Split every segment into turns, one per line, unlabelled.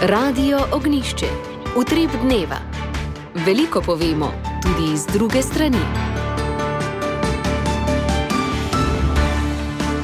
Radio Ognjišče. Utrip dneva. Veliko povemo, tudi iz druge strani.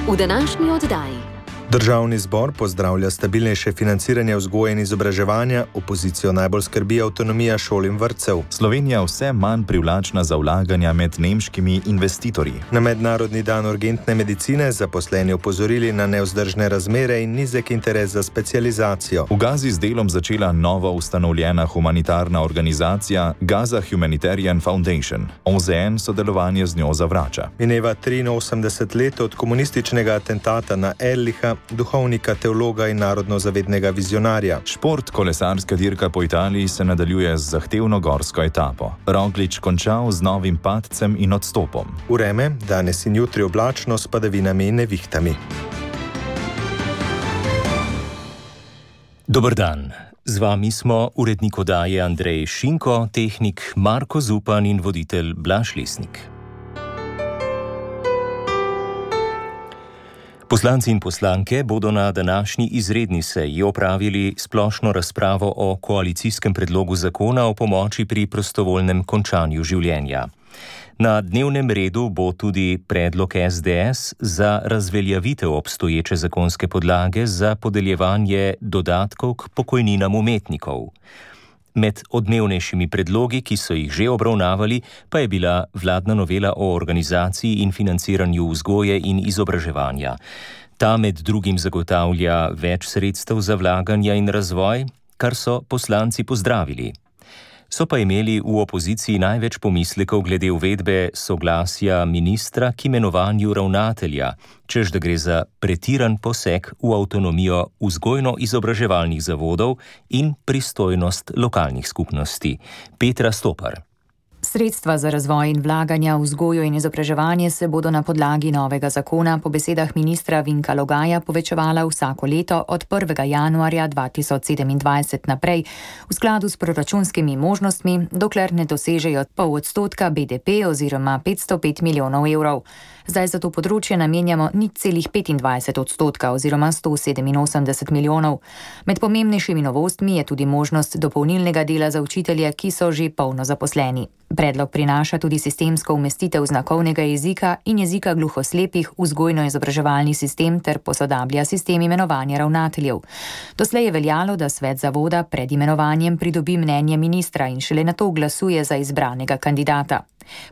V današnji oddaji.
Državni zbor pozdravlja stabilnejše financiranje vzgoje in izobraževanja, opozicijo najbolj skrbi avtonomija šol in vrtcev.
Slovenija vse manj privlačna za vlaganja med nemškimi investitorji.
Na Mednarodni dan urgentne medicine zaposleni opozorili na nevzdržne razmere in nizek interes za specializacijo.
V Gazi z delom začela novo ustanovljena humanitarna organizacija Gaza Humanitarian Foundation. OZN sodelovanje z njo zavrača.
Mineva 83 let od komunističnega atentata na Erlicha, duhovnika, teologa in narodno-zavednega vizionarja.
Šport, kolesarska dirka po Italiji se nadaljuje z zahtevno gorsko etapo. Roglič končal z novim padcem in odstopom.
Vreme, danes in jutri oblačno s padavinami in nevihtami.
Dober dan. Z vami smo urednik oddaje Andrej Šinko, tehnik Marko Zupan in voditelj Blaž Lesnik. Poslanci in poslanke bodo na današnji izredni seji opravili splošno razpravo o koalicijskem predlogu zakona o pomoči pri prostovoljnem končanju življenja. Na dnevnem redu bo tudi predlog SDS za razveljavitev obstoječe zakonske podlage za podeljevanje dodatkov k pokojninam umetnikov. Med odmevnejšimi predlogi, ki so jih že obravnavali, pa je bila vladna novela o organizaciji in financiranju vzgoje in izobraževanja. Ta med drugim zagotavlja več sredstev za vlaganja in razvoj, kar so poslanci pozdravili. So pa imeli v opoziciji največ pomislekov glede uvedbe soglasja ministra k imenovanju ravnatelja, čež da gre za pretiran poseg v avtonomijo vzgojno-izobraževalnih zavodov in pristojnost lokalnih skupnosti. Petra Stopar.
Sredstva za razvoj in vlaganja v vzgojo in izobraževanje se bodo na podlagi novega zakona po besedah ministra Vinka Logaja povečevala vsako leto od 1. januarja 2027 naprej v skladu s proračunskimi možnostmi, dokler ne dosežejo 0,5% BDP oziroma 505 milijonov evrov. Zdaj za to področje namenjamo 0,25% oziroma 187 milijonov. Med pomembnejšimi novostmi je tudi možnost dopolnilnega dela za učitelje, ki so že polno zaposleni. Predlog prinaša tudi sistemsko umestitev znakovnega jezika in jezika gluhoslepih v vzgojno-izobraževalni sistem ter posodablja sistem imenovanja ravnateljev. Doslej je veljalo, da svet zavoda pred imenovanjem pridobi mnenje ministra in šele nato glasuje za izbranega kandidata.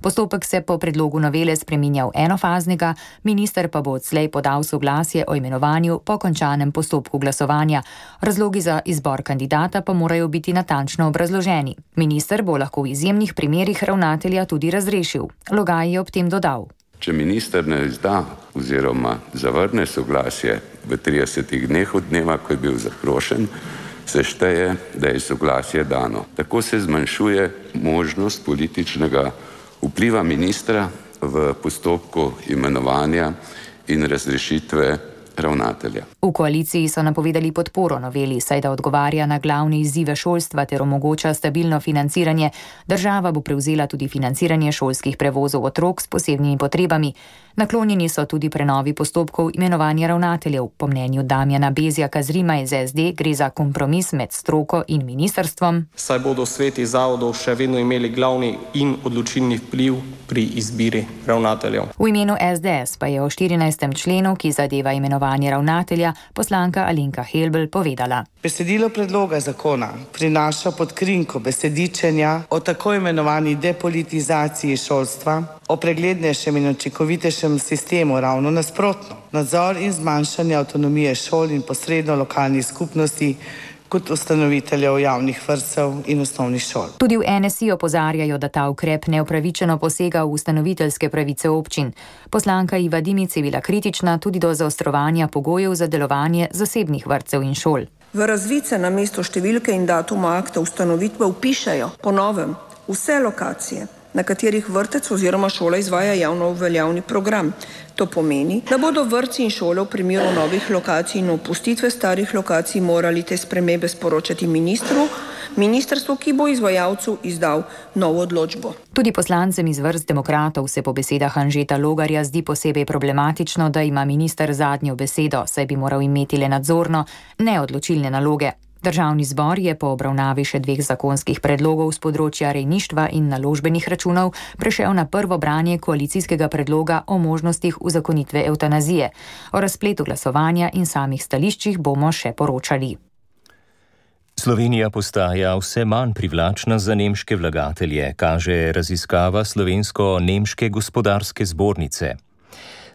Postopek se po predlogu novele spreminja v enofaznega, minister pa bo odslej podal soglasje o imenovanju po končanem postopku glasovanja. Razlogi za izbor kandidata pa morajo biti natančno obrazloženi. Minister bo lahko v izjemnih primerih ravnatelja tudi razrešil. Logaj je ob tem dodal.
Če minister ne izda oziroma zavrne soglasje v 30 dneh od dneva, ko je bil zaprošen, se šteje, da je soglasje dano. Tako se zmanjšuje možnost političnega vpliva ministra v postopku imenovanja in razrešitve ravnatelja.
V koaliciji so napovedali podporo noveli, saj da odgovarja na glavne izzive šolstva ter omogoča stabilno financiranje. Država bo prevzela tudi financiranje šolskih prevozov otrok s posebnimi potrebami. Naklonjeni so tudi prenovi postopkov imenovanja ravnateljev. Po mnenju Damjana Bezjaka z Rima iz SD gre za kompromis med stroko in ministrstvom.
Saj bodo sveti zavodov še vedno imeli glavni in odločilni vpliv pri izbiri ravnateljev.
V imenu SDS pa je o 14. členu, ki zadeva imenovanje ravnatelja, poslanka Alenka Helbl povedala.
Besedilo predloga zakona prinaša pod krinko besedičenja o tako imenovani depolitizaciji šolstva, o preglednejšem in učinkovitejšem sistemu ravno nasprotno. Nadzor in zmanjšanje avtonomije šol in posredno lokalnih skupnosti kot ustanoviteljev javnih vrtcev in osnovnih šol.
Tudi v NSI opozarjajo, da ta ukrep neupravičeno posega v ustanoviteljske pravice občin. Poslanka Iva Dimic je bila kritična tudi do zaostrovanja pogojev za delovanje zasebnih vrtcev in šol.
V razvice na mesto številke in datuma akta ustanovitve vpišejo po novem vse lokacije, na katerih vrtec oziroma šola izvaja javno veljavni program. To pomeni, da bodo vrtci in šole v primeru novih lokacij in opustitve starih lokacij morali te spremembe sporočati ministrstvu, ki bo izvajalcu izdal novo odločbo.
Tudi poslancem iz vrst demokratov se po besedah Anžeta Logarja zdi posebej problematično, da ima minister zadnjo besedo, saj bi moral imeti le nadzorno, ne odločilne naloge. Državni zbor je po obravnavi še 2 zakonskih predlogov z področja rejništva in naložbenih računov prešel na prvo branje koalicijskega predloga o možnostih uzakonitve evtanazije. O razpletu glasovanja in samih stališčih bomo še poročali.
Slovenija postaja vse manj privlačna za nemške vlagatelje, kaže raziskava Slovensko-nemške gospodarske zbornice.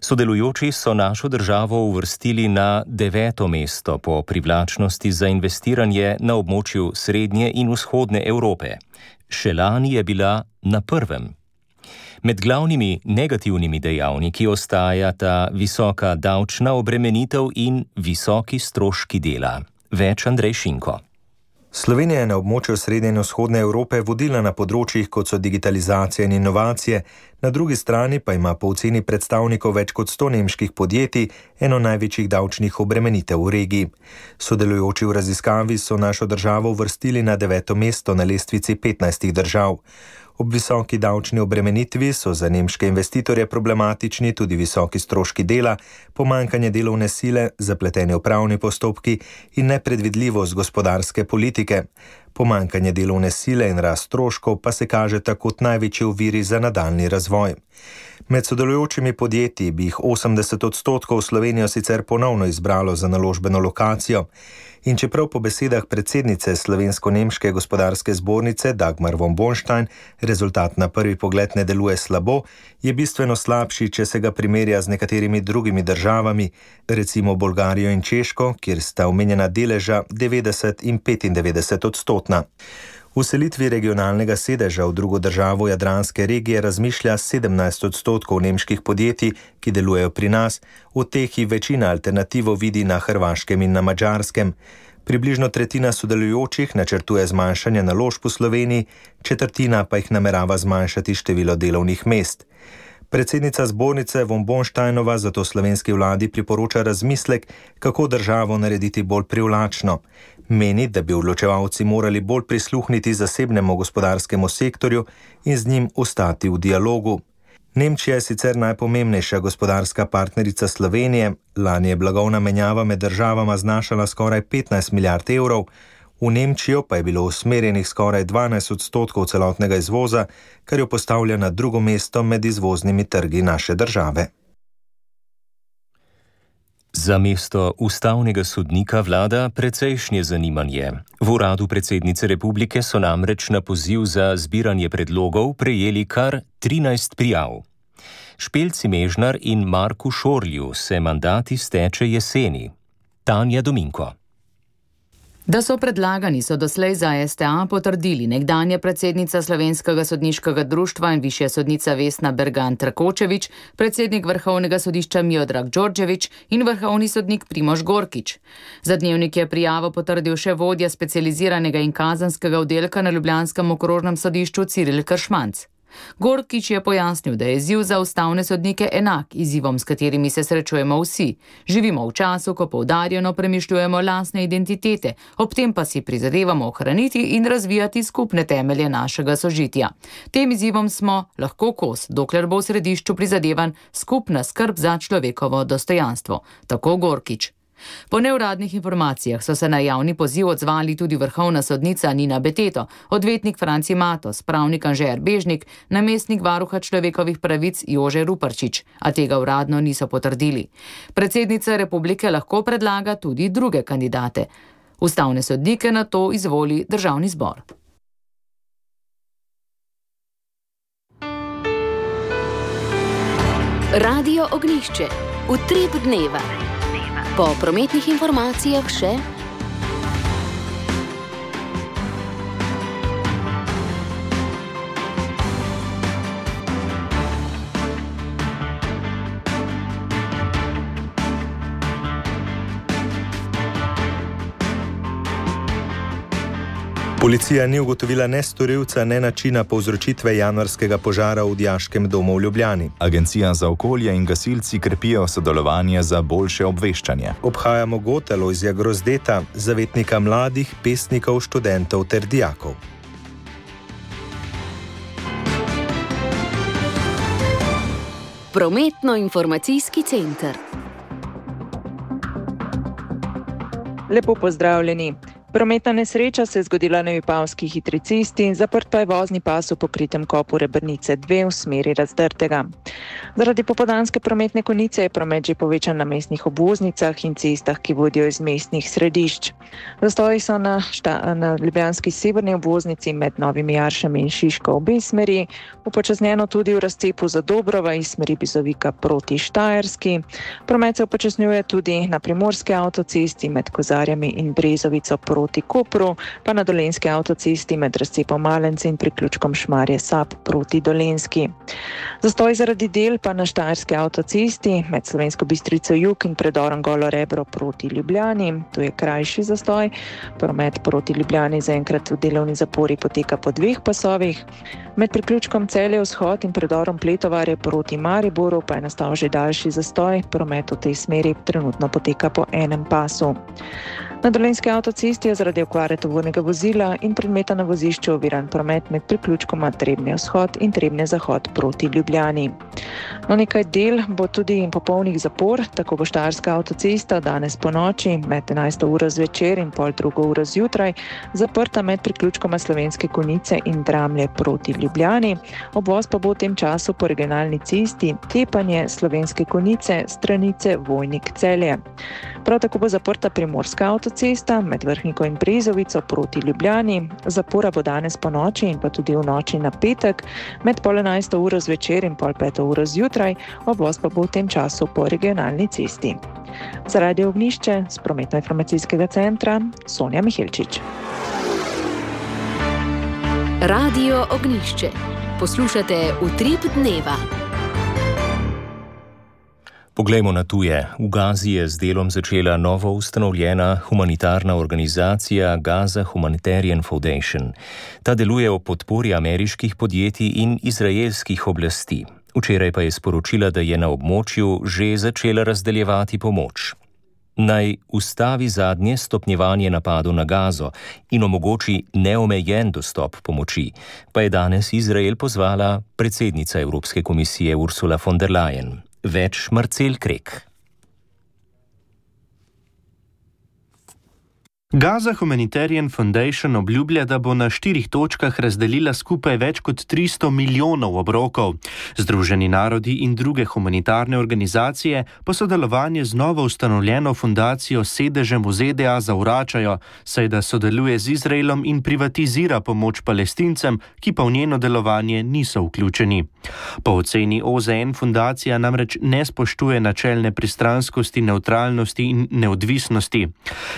Sodelujoči so našo državo uvrstili na 9. mesto po privlačnosti za investiranje na območju srednje in vzhodne Evrope. Še lani je bila na 1. Med glavnimi negativnimi dejavniki ostajata visoka davčna obremenitev in visoki stroški dela. Več Andrej Šinko.
Slovenija je na območju srednje in vzhodne Evrope vodilna na področjih, kot so digitalizacija in inovacije, na drugi strani pa ima po oceni predstavnikov več kot 100 nemških podjetij eno največjih davčnih obremenitev v regiji. Sodelujoči v raziskavi so našo državo uvrstili na 9. mesto na lestvici 15 držav. Ob visoki davčni obremenitvi so za nemške investitorje problematični tudi visoki stroški dela, pomanjkanje delovne sile, zapleteni upravni postopki in nepredvidljivost gospodarske politike. Pomanjkanje delovne sile in rast stroškov pa se kaže kot največji oviri za nadaljnji razvoj. Med sodelujočimi podjetji bi jih 80% Slovenijo sicer ponovno izbralo za naložbeno lokacijo. In čeprav po besedah predsednice Slovensko-nemške gospodarske zbornice Dagmar von Bornstein rezultat na prvi pogled ne deluje slabo, je bistveno slabši, če se ga primerja z nekaterimi drugimi državami, recimo Bolgarijo in Češko, kjer sta omenjena deleža 90 in 95%. V selitvi regionalnega sedeža v drugo državo jadranske regije razmišlja 17% nemških podjetij, ki delujejo pri nas, od teh jih večina alternativo vidi na Hrvaškem in na Madžarskem. Približno tretjina sodelujočih načrtuje zmanjšanje naložb v Sloveniji, četrtina pa jih namerava zmanjšati število delovnih mest. Predsednica zbornice von Bornsteinova zato slovenski vladi priporoča razmislek, kako državo narediti bolj privlačno. Meni, da bi odločevalci morali bolj prisluhniti zasebnemu gospodarskemu sektorju in z njim ostati v dialogu. Nemčija je sicer najpomembnejša gospodarska partnerica Slovenije, lani je blagovna menjava med državama znašala skoraj 15 milijard evrov, v Nemčijo pa je bilo usmerjenih skoraj 12% celotnega izvoza, kar jo postavlja na drugo mesto med izvoznimi trgi naše države.
Za mesto ustavnega sodnika vlada precejšnje zanimanje. V uradu predsednice republike so namreč na poziv za zbiranje predlogov prejeli kar 13 prijav. Špelci Mežnar in Marku Šorlju se mandat izteče jeseni. Tanja Dominko.
Da so predlagani, so doslej za STA potrdili nekdanja predsednica Slovenskega sodniškega društva in višja sodnica Vesna Bergan Trakočević, predsednik Vrhovnega sodišča Miodrag Đorđević in vrhovni sodnik Primož Gorkič. Za Dnevnik je prijavo potrdil še vodja specializiranega in kazanskega oddelka na ljubljanskem okrožnem sodišču Ciril Kršmanc. Gorkič je pojasnil, da je izziv za ustavne sodnike enak izzivom, s katerimi se srečujemo vsi. Živimo v času, ko poudarjeno premišljujemo lastne identitete, ob tem pa si prizadevamo ohraniti in razvijati skupne temelje našega sožitja. Tem izzivom smo lahko kos, dokler bo v središču prizadevan skupna skrb za človekovo dostojanstvo. Tako Gorkič. Po neuradnih informacijah so se na javni poziv odzvali tudi vrhovna sodnica Nina Beteto, odvetnik Franci Matos, pravnik Anže Erbežnik, namestnik varuha človekovih pravic Jože Ruparčič, a tega uradno niso potrdili. Predsednica republike lahko predlaga tudi druge kandidate. Ustavne sodnike na to izvoli Državni zbor.
Radio Ognjišče. Utrip dneva. Po prometnih informacijah še...
Policija ni ugotovila ne storilca, ne načina povzročitve januarskega požara v Dijaškem domu v Ljubljani.
Agencija za okolje in gasilci krepijo sodelovanje za boljše obveščanje.
Obhajamo god Alojzija Grozdeta, zavetnika mladih, pesnikov, študentov ter dijakov.
Prometno-informacijski center.
Lepo pozdravljeni. Prometna nesreča se je zgodila na Vipavski hitri cesti, zaprt pa je vozni pas v pokritem kopu Rebrnice 2 v smeri Razdrtega. Zaradi popoldanske prometne konice je promet že povečan na mestnih obvoznicah in cestah, ki vodijo iz mestnih središč. Zastoji so na ljubljanski severni obvoznici med Novimi Jaršami in Šiško obe smeri, upočasnjeno tudi v razcepu Zadobrova iz smeri Bizovika proti Štajerski. Promet se upočasnjuje tudi na primorski avtocesti med Kozarjami in Brezovico proti Kopru, pa na dolenski avtocesti med razcepom Malence in priključkom Šmarje Sap proti Dolenski. Zastoj zaradi del pa na štajerski avtocesti med Slovensko Bistrico Jug in predorom Golo Rebro proti Ljubljani. Tu je krajši zastoj. Promet proti Ljubljani zaenkrat v delovni zapori poteka po 2 pasovih. Med priključkom Celje Vzhod in predorom Pletovarje proti Mariboru pa je nastal že daljši zastoj. Promet v tej smeri trenutno poteka po 1 pasu. Na dolenski avtocesti je zaradi okvare tovornega vozila in predmeta na vozišču oviran promet med priključkoma Trebnje Vzhod in Trebnje Zahod proti Ljubljani. No, nekaj del bo tudi popolnih zapor, tako bo štajerska avtocesta danes po noči med 11. uro zvečer in pol 2. uro zjutraj zaprta med priključkoma Slovenske Konjice in Dramlje proti Ljubljani. Obvoz pa bo v tem času po regionalni cesti Tepanje Slovenske Konjice, Stranice, Vojnik, Celje. Prav tako bo zaprta primorska avtocesta med Vrhniko in Brezovico proti Ljubljani. Zapora bo danes po noči in pa tudi v noči na petek med pol 11. uro zvečer in pol 5. uro zjutraj. Obvoz pa bo v tem času po regionalni cesti. Za Radio Ognjišče z Prometno-informacijskega centra Sonja Mihelčič.
Radio Ognjišče. Poslušate Utrip dneva.
Poglejmo na tuje. V Gazi je z delom začela novo ustanovljena humanitarna organizacija Gaza Humanitarian Foundation. Ta deluje ob podpori ameriških podjetij in izraelskih oblasti. Včeraj pa je sporočila, da je na območju že začela razdeljevati pomoč. Naj ustavi zadnje stopnjevanje napadov na Gazo in omogoči neomejen dostop pomoči, pa je danes Izrael pozvala predsednica Evropske komisije Ursula von der Leyen. Več Marcel Krek.
Gaza Humanitarian Foundation obljublja, da bo na 4 točkah razdelila skupaj več kot 300 milijonov obrokov. Združeni narodi in druge humanitarne organizacije pa sodelovanje z novo ustanovljeno fundacijo s sedežem v ZDA zavračajo, saj da sodeluje z Izraelom in privatizira pomoč Palestincem, ki pa v njeno delovanje niso vključeni. Po oceni OZN fundacija namreč ne spoštuje načel nepristranskosti, nevtralnosti in neodvisnosti.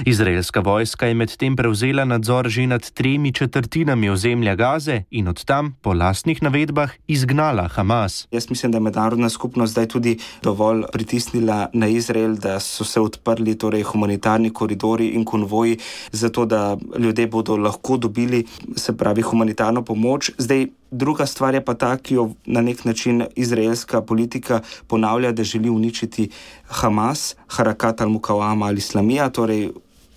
Izraelska vojska je medtem prevzela nadzor že nad 3/4 ozemlja Gaze in od tam, po lastnih navedbah, izgnala Hamas.
Jaz mislim, da je mednarodna skupnost zdaj tudi dovolj pritisnila na Izrael, da so se odprli humanitarni koridori in konvoji, zato da ljudje bodo lahko dobili, se pravi, humanitarno pomoč. Zdaj, druga stvar je pa ta, ki jo na nek način izraelska politika ponavlja, da želi uničiti Hamas, Harakat al-Mukawama al-Islamija, torej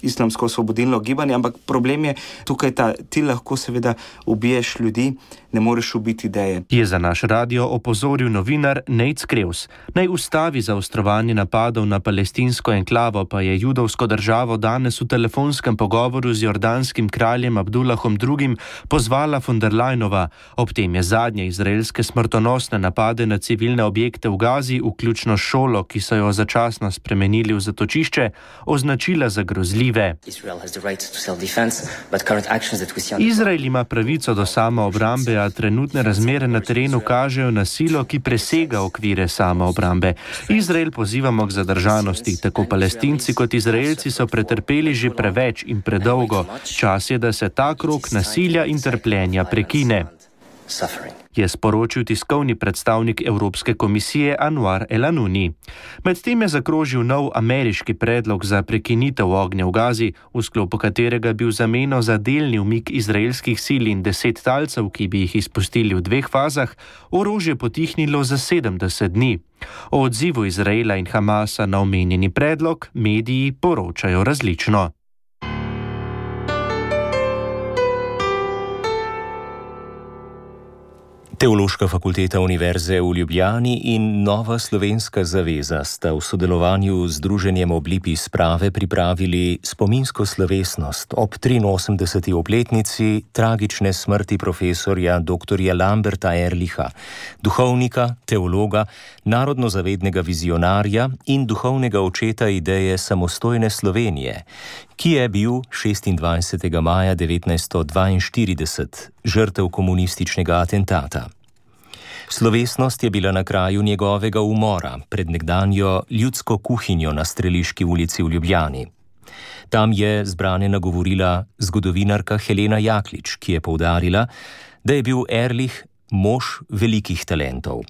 islamsko osvobodilno gibanje, ampak problem je tukaj ti lahko seveda ubiješ ljudi, ne moreš ubiti ideje.
Je za naš radio opozoril novinar Nate Skreus. Naj ustavi zaostrovanje napadov na palestinsko enklavo, pa je judovsko državo danes v telefonskem pogovoru z jordanskim kraljem Abdullahom II. Pozvala von der Leyenova. Ob tem je zadnje izraelske smrtonosne napade na civilne objekte v Gazi, vključno šolo, ki so jo začasno spremenili v zatočišče, označila za grozljive. Izrael ima pravico do samoobrambe, a trenutne razmere na terenu kažejo na silo, ki presega okvire samoobrambe. Izrael pozivamo k zadržanosti. Tako Palestinci kot Izraelci so pretrpeli že preveč in predolgo. Čas je, da se ta krog nasilja in trpljenja prekine, je sporočil tiskovni predstavnik Evropske komisije Anwar El-Anouni. Medtem je zakrožil nov ameriški predlog za prekinitev ognja v Gazi, v sklopu katerega bi v zameno za delni umik izraelskih sil in 10 talcev, ki bi jih izpustili v 2 fazah, orožje potihnilo za 70 dni. O odzivu Izraela in Hamasa na omenjeni predlog mediji poročajo različno.
Teološka fakulteta Univerze v Ljubljani in Nova slovenska zaveza sta v sodelovanju z Združenjem Oblipi sprave pripravili spominsko slovesnost ob 83. obletnici tragične smrti profesorja dr. Lamberta Ehrlicha, duhovnika, teologa, narodnozavednega vizionarja in duhovnega očeta ideje samostojne Slovenije, ki je bil 26. maja 1942 žrtev komunističnega atentata. Slovesnost je bila na kraju njegovega umora pred nekdanjo ljudsko kuhinjo na Streliški ulici v Ljubljani. Tam je zbrane nagovorila zgodovinarka Helena Jaklič, ki je poudarila, da je bil Ehrlich mož velikih talentov.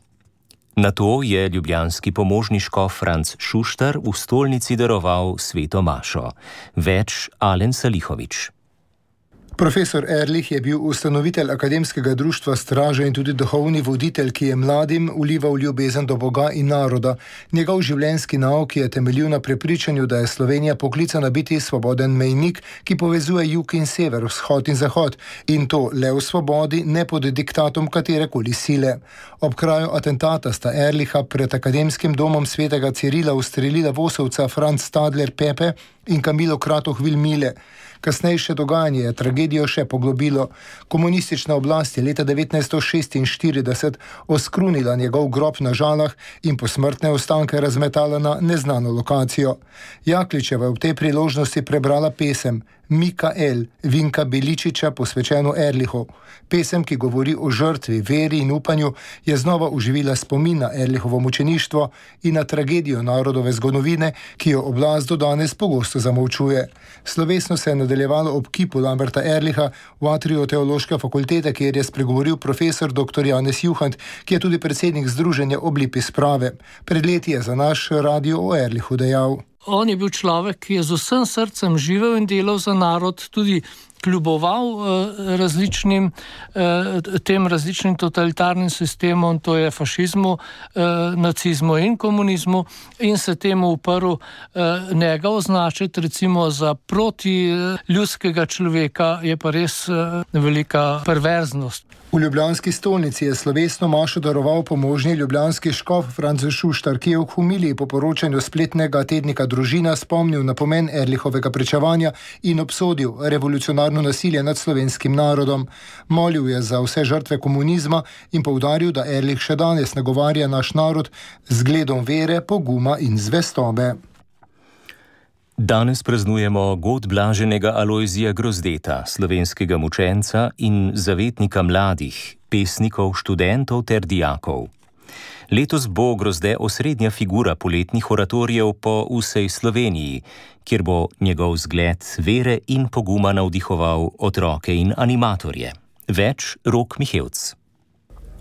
Na to je ljubljanski pomožni škof Franc Šuštar v stolnici daroval sveto mašo. Več Alen Salihovič.
Profesor Ehrlich je bil ustanovitelj akademskega društva Straža in tudi duhovni voditelj, ki je mladim vlival ljubezen do Boga in naroda. Njegov življenjski nauk je temeljil na prepričanju, da je Slovenija poklicana biti svoboden mejnik, ki povezuje jug in sever, vzhod in zahod, in to le v svobodi, ne pod diktatom katerekoli sile. Ob kraju atentata sta Ehrlicha pred akademskim domom svetega Cirila ustrelila vosovca Franz Stadler Pepe in Kamilo Kratoh Vilmile. Kasnejše dogajanje je tragedijo še poglobilo. Komunistična oblast je leta 1946 oskrunila njegov grob na Žalah in posmrtne ostanke razmetala na neznano lokacijo. Jakličeva je v tej priložnosti prebrala pesem Mikael Vinka Beličiča posvečeno Ehrlichu. Pesem, ki govori o žrtvi, veri in upanju, je znova oživila spomin na Ehrlichovo mučeništvo in na tragedijo narodove zgodovine, ki jo oblast do danes pogosto zamolčuje. Slovesno se je nadaljevalo ob kipu Lamberta Ehrlicha v atriju Teološke fakultete, kjer je spregovoril profesor dr. Janez Juhant, ki je tudi predsednik Združenja Oblipi sprave. Pred leti je za naš radio o Ehrlichu dejal:
On je bil človek, ki je z vsem srcem živel in delal za narod, tudi kljuboval različnim totalitarnim sistemom, to je fašizmu, nacizmu in komunizmu, in se temu uprl. Njega označiti recimo za proti ljudskega človeka je pa res velika perverznost.
V ljubljanski stolnici je slovesno mašo daroval pomožni ljubljanski škof Franc Šuštar, ki je v homiliji po poročanju spletnega tednika Družina spomnil na pomen Ehrlichovega pričevanja in obsodil revolucionarno nasilje nad slovenskim narodom. Molil je za vse žrtve komunizma in poudaril, da Ehrlich še danes nagovarja naš narod z zgledom vere, poguma in zvestobe.
Danes praznujemo god blaženega Alojzija Grozdeta, slovenskega mučenca in zavetnika mladih, pesnikov, študentov ter dijakov. Letos bo Grozde osrednja figura poletnih oratorijev po vsej Sloveniji, kjer bo njegov zgled vere in poguma navdihoval otroke in animatorje. Več Rok Mihevc.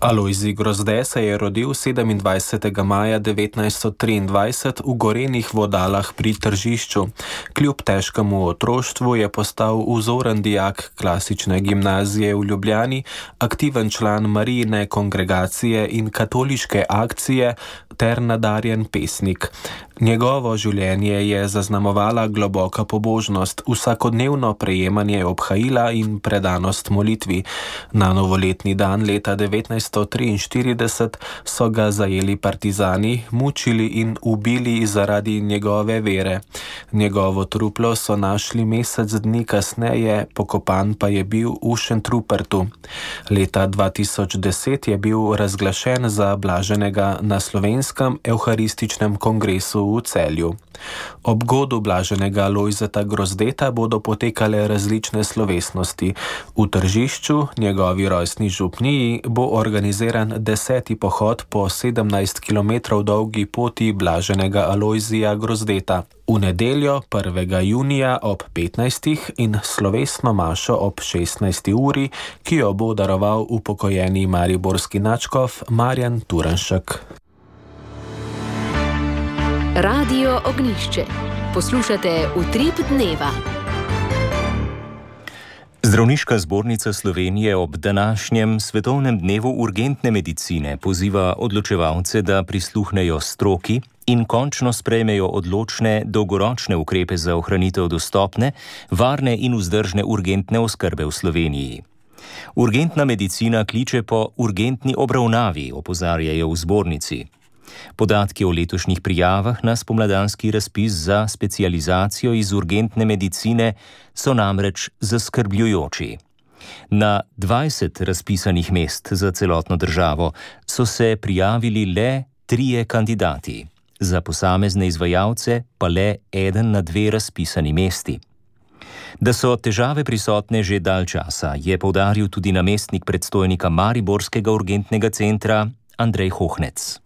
Alojzij Grozde se je rodil 27. maja 1923 v Gorenih Vodalah pri Tržišču. Kljub težkemu otroštvu je postal vzoren dijak klasične gimnazije v Ljubljani, aktiven član Marijine kongregacije in katoliške akcije ter nadarjen pesnik. Njegovo življenje je zaznamovala globoka pobožnost, vsakodnevno prejemanje obhajila in predanost molitvi. Na novoletni dan leta 1943 so ga zajeli partizani, mučili in ubili zaradi njegove vere. Njegovo truplo so našli mesec dni kasneje, pokopan pa je bil v Šentrupertu. Leta 2010 je bil razglašen za blaženega na Slovenskem evharističnem kongresu v Celju. Ob godu blaženega Alojzeta Grozdeta bodo potekale različne slovesnosti. V Tržišču, njegovi rojstni župniji, bo organiziran 10. pohod po 17 km dolgi poti blaženega Alojzija Grozdeta. V nedeljo 1. junija ob 15. in slovesno mašo ob 16. uri, ki jo bo daroval upokojeni mariborski nadškof Marjan Turnšek.
Radio Ognjišče. Poslušate Utrip dneva.
Zdravniška zbornica Slovenije ob današnjem svetovnem dnevu urgentne medicine poziva odločevalce, da prisluhnejo stroki in končno sprejmejo odločne, dolgoročne ukrepe za ohranitev dostopne, varne in vzdržne urgentne oskrbe v Sloveniji. Urgentna medicina kliče po urgentni obravnavi, opozarjajo v zbornici. Podatki o letošnjih prijavah na spomladanski razpis za specializacijo iz urgentne medicine so namreč zaskrbljujoči. Na 20 razpisanih mest za celotno državo so se prijavili le 3 kandidati, za posamezne izvajalce pa le 1 na 2 razpisani mesti. Da so težave prisotne že dalj časa, je poudaril tudi namestnik predstojnika Mariborskega urgentnega centra Andrej Hohnec.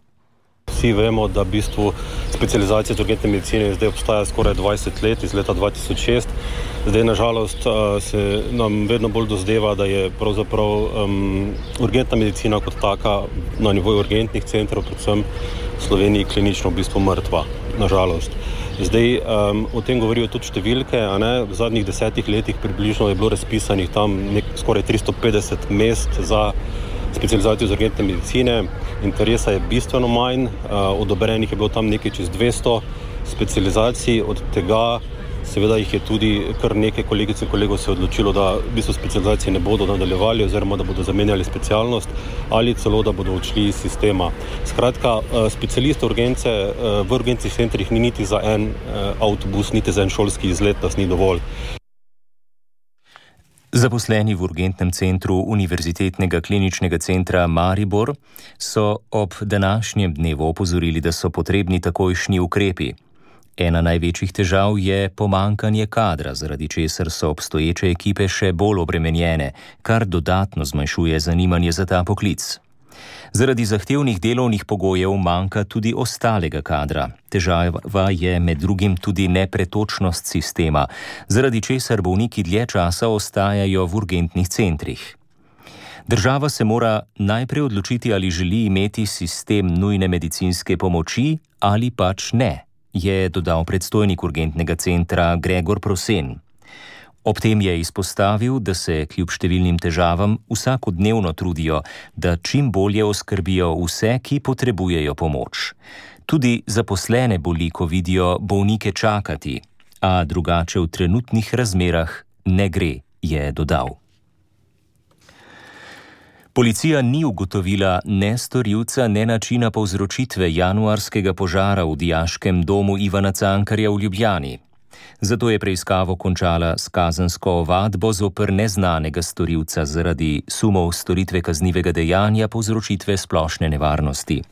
Vsi vemo, da v bistvu specializacija iz urgentne medicine zdaj obstaja skoraj 20 let, iz leta 2006. Zdaj, nažalost, se nam vedno bolj dozdeva, da je pravzaprav urgentna medicina kot taka na nivoju urgentnih centrov, predvsem v Sloveniji, klinično v bistvu mrtva, nažalost. Zdaj, o tem govorijo tudi številke, v zadnjih 10 letih približno je bilo razpisanih tam skoraj 350 mest za specializacijo iz urgentne medicine. Interesa je bistveno manj, odobrenih je bilo tam nekaj čez 200 specializacij, od tega seveda jih je tudi kar nekaj kolegic in kolegov se odločilo, da v bistvu specializacije ne bodo nadaljevali oziroma da bodo zamenjali specialnost ali celo da bodo odšli iz sistema. Skratka, specialistov urgence v urgentnih centrih ni niti za en avtobus, niti za en šolski izlet, nas ni dovolj.
Zaposleni v urgentnem centru Univerzitetnega kliničnega centra Maribor so ob današnjem dnevu opozorili, da so potrebni takojšnji ukrepi. Ena največjih težav je pomanjkanje kadra, zaradi česar so obstoječe ekipe še bolj obremenjene, kar dodatno zmanjšuje zanimanje za ta poklic. Zaradi zahtevnih delovnih pogojev manjka tudi ostalega kadra. Težava je med drugim tudi nepretočnost sistema, zaradi česar bolniki dlje časa ostajajo v urgentnih centrih. Država se mora najprej odločiti, ali želi imeti sistem nujne medicinske pomoči ali pač ne, je dodal predstojnik urgentnega centra Gregor Prosen. Ob tem je izpostavil, da se kljub številnim težavam vsakodnevno trudijo, da čim bolje oskrbijo vse, ki potrebujejo pomoč. Tudi zaposlene boli, ko vidijo bolnike čakati, a drugače v trenutnih razmerah ne gre, je dodal. Policija ni ugotovila ne storilca, ne načina povzročitve januarskega požara v dijaškem domu Ivana Cankarja v Ljubljani. Zato je preiskavo končala s kazensko ovadbo zoper neznanega storilca zaradi sumov storitve kaznivega dejanja povzročitve splošne nevarnosti.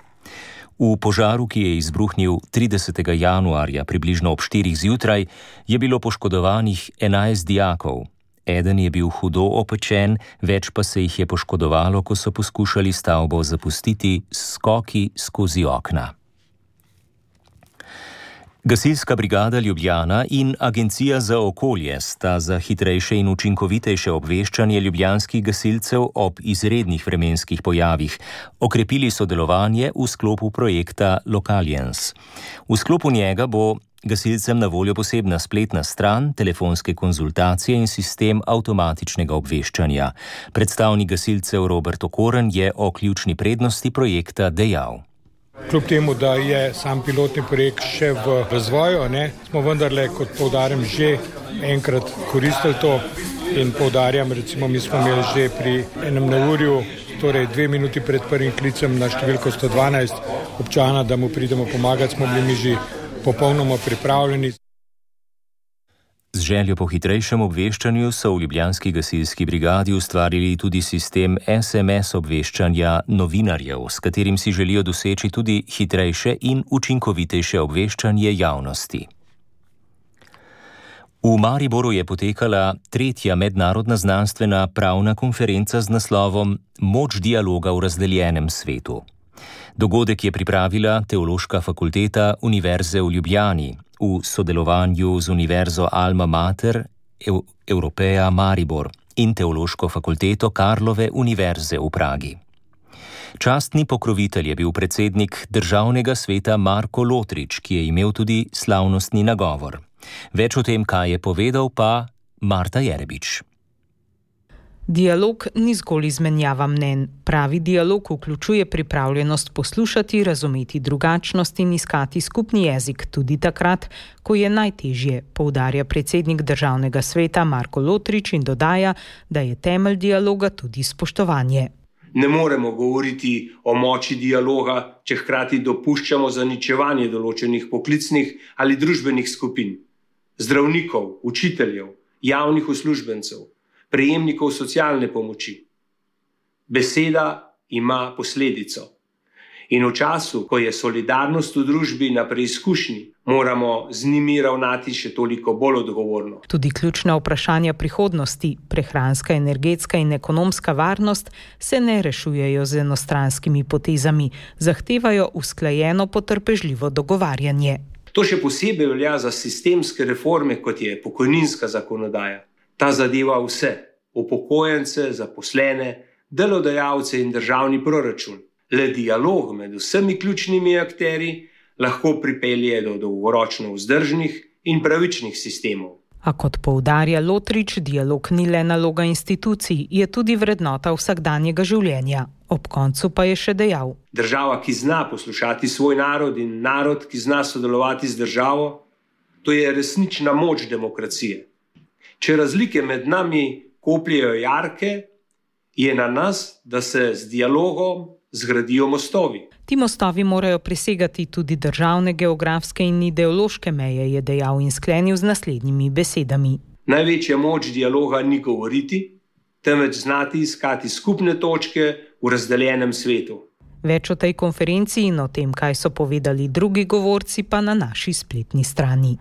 V požaru, ki je izbruhnil 30. januarja približno ob 4. zjutraj, je bilo poškodovanih 11 dijakov. Eden je bil hudo opečen, več pa se jih je poškodovalo, ko so poskušali stavbo zapustiti s skoki skozi okna. Gasilska brigada Ljubljana in Agencija za okolje sta za hitrejše in učinkovitejše obveščanje ljubljanskih gasilcev ob izrednih vremenskih pojavih okrepili sodelovanje v sklopu projekta Localiens. V sklopu njega bo gasilcem na voljo posebna spletna stran, telefonske konzultacije in sistem avtomatičnega obveščanja. Predstavnik gasilcev Robert Okoren je o ključni prednosti projekta dejal.
Kljub temu, da je sam pilotni projekt še v razvoju, smo vendarle, kot poudarjam, že enkrat koristili to in poudarjam, recimo mi smo imeli že pri enem neurju, torej 2 minuti pred prvim klicem na številko 112 občana, da mu pridemo pomagati, smo bili mi že popolnoma pripravljeni.
Z željo po hitrejšem obveščanju so v ljubljanski gasilski brigadi ustvarili tudi sistem SMS obveščanja novinarjev, s katerim si želijo doseči tudi hitrejše in učinkovitejše obveščanje javnosti. V Mariboru je potekala 3. mednarodna znanstvena pravna konferenca z naslovom Moč dialoga v razdeljenem svetu. Dogodek je pripravila Teološka fakulteta Univerze v Ljubljani v sodelovanju z Univerzo Alma Mater Europeja Maribor in Teološko fakulteto Karlove univerze v Pragi. Častni pokrovitelj je bil predsednik državnega sveta Marko Lotrič, ki je imel tudi slavnostni nagovor. Več o tem, kaj je povedal, pa Marta Jerebič.
Dialog ni zgolj izmenjava mnenj. Pravi dialog vključuje pripravljenost poslušati, razumeti drugačnost in iskati skupni jezik tudi takrat, ko je najtežje, poudarja predsednik Državnega sveta Marko Lotrič in dodaja, da je temelj dialoga tudi spoštovanje.
Ne moremo govoriti o moči dialoga, če hkrati dopuščamo zaničevanje določenih poklicnih ali družbenih skupin, zdravnikov, učiteljev, javnih uslužbencev, prejemnikov socialne pomoči. Beseda ima posledico. In v času, ko je solidarnost v družbi na preizkušnji, moramo z njimi ravnati še toliko bolj odgovorno.
Tudi ključna vprašanja prihodnosti, prehranska, energetska in ekonomska varnost, se ne rešujejo z enostranskimi potezami, zahtevajo usklajeno potrpežljivo dogovarjanje.
To še posebej velja za sistemske reforme, kot je pokojninska zakonodaja. Ta zadeva vse, upokojence, zaposlene, delodajalce in državni proračun. Le dialog med vsemi ključnimi akterji lahko pripelje do dolgoročno vzdržnih in pravičnih sistemov.
A kot poudarja Lotrič, dialog ni le naloga institucij, je tudi vrednota vsakdanjega življenja. Ob koncu pa je še dejal:
Država, ki zna poslušati svoj narod in narod, ki zna sodelovati z državo, to je resnična moč demokracije. Če razlike med nami kopljejo jarke, je na nas, da se z dialogom zgradijo mostovi.
Ti mostovi morajo presegati tudi državne, geografske in ideološke meje, je dejal in sklenil z naslednjimi besedami.
Največja moč dialoga ni govoriti, temveč znati iskati skupne točke v razdeljenem svetu.
Več o tej konferenci in o tem, kaj so povedali drugi govorci, pa na naši spletni strani.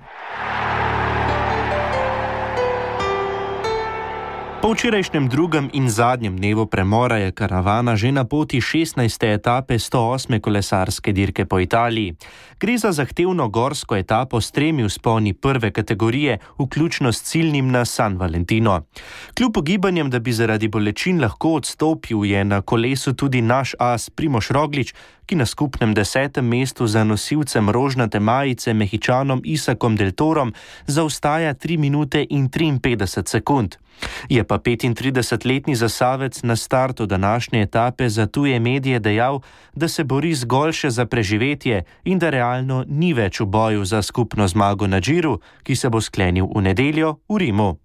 Po včerajšnjem drugem in zadnjem dnevu premora je karavana že na poti 16. etape 108. kolesarske dirke po Italiji. Gre za zahtevno gorsko etapo s 3 vzponi prve kategorije, vključno s ciljnim na San Valentino. Kljub ugibanjem, da bi zaradi bolečin lahko odstopil, je na kolesu tudi naš as Primož Roglič, ki na skupnem 10. mestu za nosilcem rožnate majice Mehičanom Isakom Del Torom zaostaja 3 minute in 53 sekund. Je pa 35-letni zasavec na startu današnje etape za tuje medije dejal, da se bori zgolj še za preživetje in da realno ni več v boju za skupno zmago na Džiru, ki se bo sklenil v nedeljo v Rimu.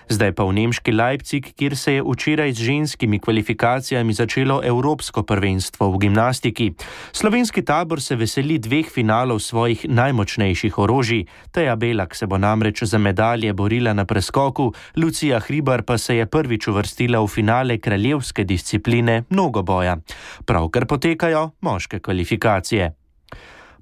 Zdaj pa v nemški Leipzig, kjer se je včeraj z ženskimi kvalifikacijami začelo evropsko prvenstvo v gimnastiki. Slovenski tabor se veseli 2 finalov svojih najmočnejših orožij. Teja Belak se bo namreč za medalje borila na preskoku, Lucija Hribar pa se je prvič uvrstila v finale kraljevske discipline mnogoboja. Pravkar potekajo moške kvalifikacije.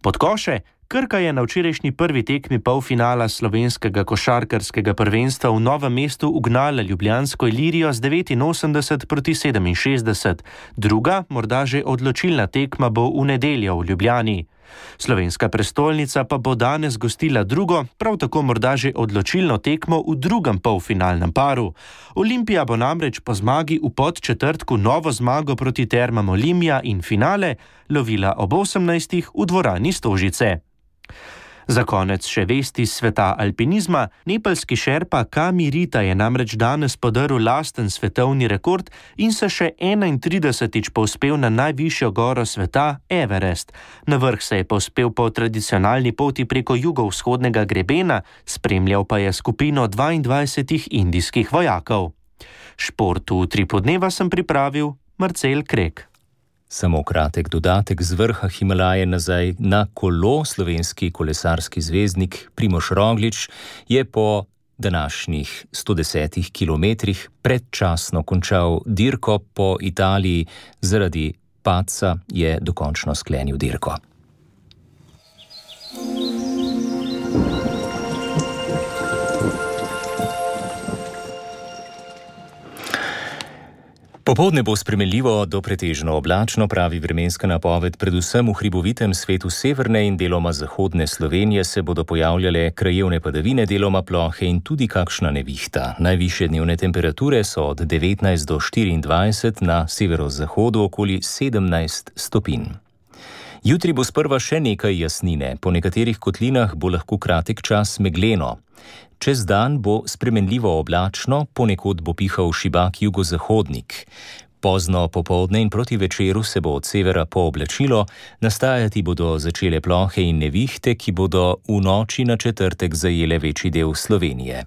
Pod koše. Krka je na včerajšnji prvi tekmi polfinala slovenskega košarkarskega prvenstva v Novem mestu ugnala ljubljansko Ilirijo z 89 proti 67. Druga, morda že odločilna tekma bo v nedeljo v Ljubljani. Slovenska prestolnica pa bo danes gostila drugo, prav tako morda že odločilno tekmo v drugem polfinalnem paru. Olimpija bo namreč po zmagi v Podčetrtku novo zmago proti Termam Olimia in finale lovila ob 18. v dvorani Stožice. Za konec še vesti iz sveta alpinizma. Nepalski šerpa Kami Rita je namreč danes podrl lasten svetovni rekord in se še 31. povzpel na najvišjo goro sveta, Everest. Na vrh se je povzpel po tradicionalni poti preko jugovzhodnega grebena, spremljal pa je skupino 22 indijskih vojakov. Šport v Utripu dneva sem pripravil Marcel Krek.
Samo kratek dodatek z vrha Himalaje nazaj na kolo. Slovenski kolesarski zvezdnik Primož Roglič je po današnjih 110 kilometrih predčasno končal dirko po Italiji. Zaradi padca je dokončno sklenil dirko. Popoldne bo spremenljivo do pretežno oblačno, pravi vremenska napoved. Predvsem v hribovitem svetu severne in deloma zahodne Slovenije se bodo pojavljale krajevne padavine, deloma plohe in tudi kakšna nevihta. Najvišje dnevne temperature so od 19 do 24, na severozahodu okoli 17 stopinj. Jutri bo sprva še nekaj jasnine, po nekaterih kotlinah bo lahko kratek čas megleno. Čez dan bo spremenljivo oblačno, ponekod bo pihal šibak jugozahodnik. Pozno popoldne in proti večeru se bo od severa pooblačilo, nastajati bodo začele plohe in nevihte, ki bodo v noči na četrtek zajele večji del Slovenije.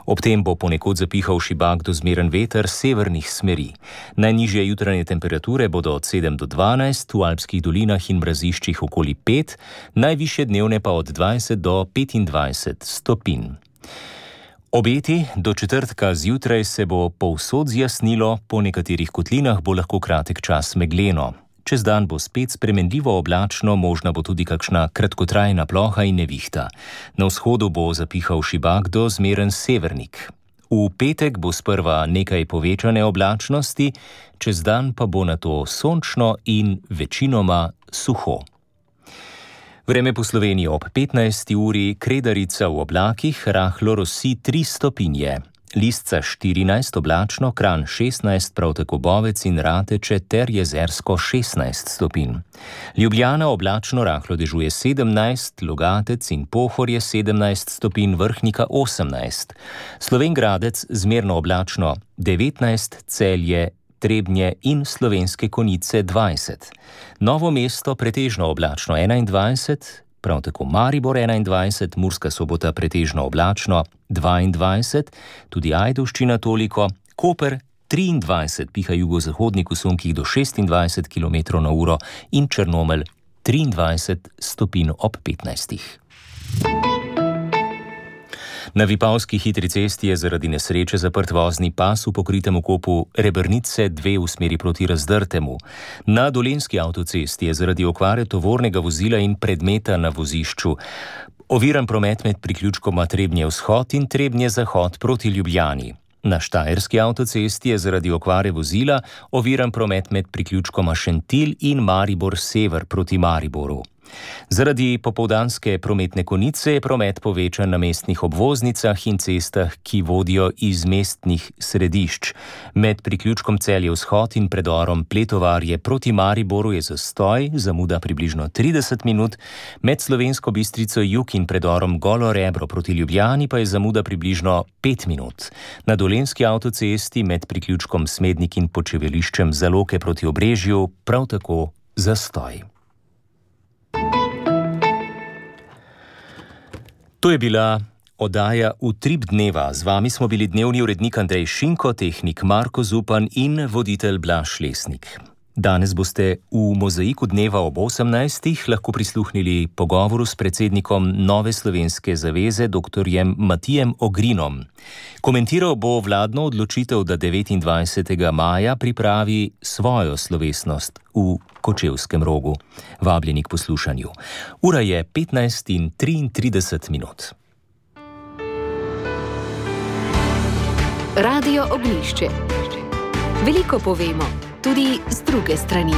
Ob tem bo ponekod zapihal šibak do zmeren veter severnih smeri. Najnižje jutranje temperature bodo od 7 do 12, v alpskih dolinah in mraziščih okoli 5, najvišje dnevne pa od 20 do 25 stopinj. Obeti do četrtka zjutraj se bo povsod zjasnilo, po nekaterih kotlinah bo lahko kratek čas megleno. Čez dan bo spet spremenljivo oblačno, možna bo tudi kakšna kratkotrajna ploha in nevihta. Na vzhodu bo zapihal šibak do zmeren severnik. V petek bo sprva nekaj povečane oblačnosti, čez dan pa bo nato sončno in večinoma suho. Vreme po Sloveniji ob 15. uri, Kredarica v oblakih, rahlo rosi 3 stopinje. Lisca 14 oblačno, Kranj 16, prav tako Bovec in Rateče ter Jezersko 16 stopinj. Ljubljana oblačno, rahlo dežuje 17, Logatec in Pohorje 17 stopinj, Vrhnika 18. Slovenj Gradec zmerno oblačno 19, Celje, Trebnje in Slovenske Konjice 20. Novo mesto pretežno oblačno 21, prav tako Maribor 21, Murska Sobota pretežno oblačno 22, tudi Ajdovščina toliko, Koper 23, piha jugozahodnik v sunkih do 26 km/h in Črnomelj 23 stopinj ob 15. Na Vipavski hitri cesti je zaradi nesreče zaprt vozni pas v pokritem okopu Rebrnice 2 v smeri proti Razdrtemu. Na Dolenjski avtocesti je zaradi okvare tovornega vozila in predmeta na vozišču oviran promet med priključkoma Trebnje vzhod in Trebnje zahod proti Ljubljani. Na Štajerski avtocesti je zaradi okvare vozila oviran promet med priključkoma Šentilj in Maribor sever proti Mariboru. Zaradi popoldanske prometne konice je promet povečan na mestnih obvoznicah in cestah, ki vodijo iz mestnih središč. Med priključkom Celje vzhod in predorom Pletovarje proti Mariboru je zastoj, zamuda približno 30 minut, med Slovensko Bistrico jug in predorom Golo Rebro proti Ljubljani pa je zamuda približno 5 minut. Na Dolenjski avtocesti med priključkom Smednik in počivališčem Zaloke proti Obrežju prav tako zastoj. To je bila oddaja Utrip dneva. Z vami smo bili dnevni urednik Andrej Šinko, tehnik Marko Zupan in voditelj Blaž Lesnik. Danes boste v Mozaiku dneva ob 18. lahko prisluhnili pogovoru s predsednikom Nove slovenske zaveze, dr. Matijem Ogrinom. Komentiral bo vladno odločitev, da 29. maja pripravi svojo slovesnost v Kočevskem Rogu. Vabljeni k poslušanju. Ura je 15:33.
Radio Ognjišče. Veliko povemo, tudi z druge strani.